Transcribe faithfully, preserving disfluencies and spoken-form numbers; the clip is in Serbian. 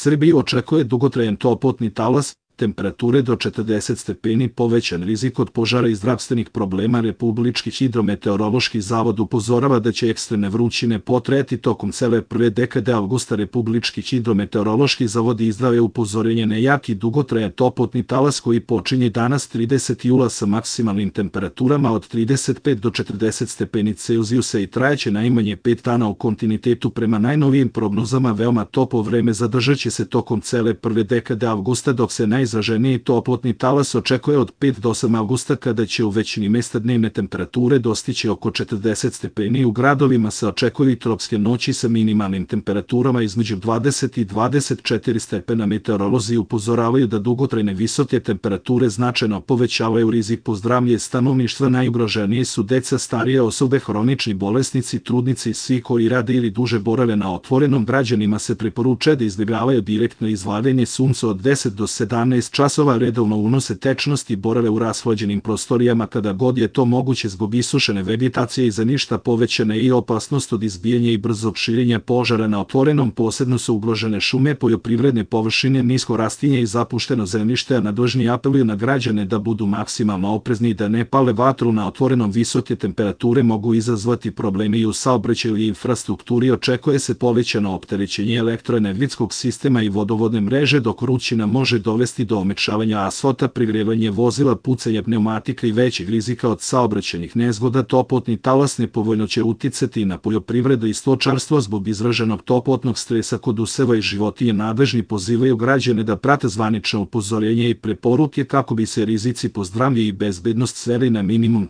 Srbiju očekuje dugotrajan toplotni talas, temperature do četrdeset stepeni, povećan rizik od požara i zdravstvenih problema. Republički hidrometeorološki zavod upozorava da će ekstremne vrućine potrajati tokom cele prve dekade avgusta. Republički hidrometeorološki zavod izdao je upozorenje na jak i dugotrajan toplotni talas koji počinje danas tridesetog jula sa maksimalnim temperaturama od trideset pet do četrdeset stepeni Celzijusa i trajaće najmanje pet dana u kontinuitetu. Prema najnovijim prognozama, veoma toplo vreme zadržaće se tokom cele prve dekade avgusta, dok se najizraženiji toplotni talas očekuje od pet do osam avgusta, kada će u većini mesta dnevne temperature dostići oko četrdeset stepeni. U gradovima se očekuju i tropske noći sa minimalnim temperaturama između dvadeset i dvadeset četiri stepena. Meteorolozi upozoravaju da dugotrajne visoke temperature značajno povećavaju rizik po zdravlje stanovništva. Najugroženije su deca, starije osobe, hronični bolesnici, trudnice i svi koji rade ili duže borave na otvorenom. Građanima se preporučuje da izbjegavaju direktno izlaženje sunca od deset do sedamnaest časova, redovno unose tečnost i borave u rashlađenim prostorijama kada god je to moguće zbog isušene vegetacije i za ništa povećane i opasnost od izbijanja i brzog širenja požara na otvorenom. Posebno su ugrožene šume, poljoprivredne površine, nisko rastinje i zapušteno zemljište, a nadležni apeluju na građane da budu maksimalno oprezni i da ne pale vatru na otvorenom. Visoke temperature mogu izazvati probleme i u saobraćaju i infrastrukturi. Očekuje se povećano opterećenje elektroenergetskog sistema i vodovodne mreže, dok vrućina može dovesti do omekšavanja asfalta, prigrevanje vozila, pucanje pneumatika i većeg rizika od saobraćajnih nezgoda. Toplotni talas nepovoljno će uticati na poljoprivredu i stočarstvo zbog izraženog toplotnog stresa kod useva i životinja. Nadležni pozivaju građane da prate zvanično upozorenje i preporuke kako bi se rizici po zdravlje i bezbednost sveli na minimum.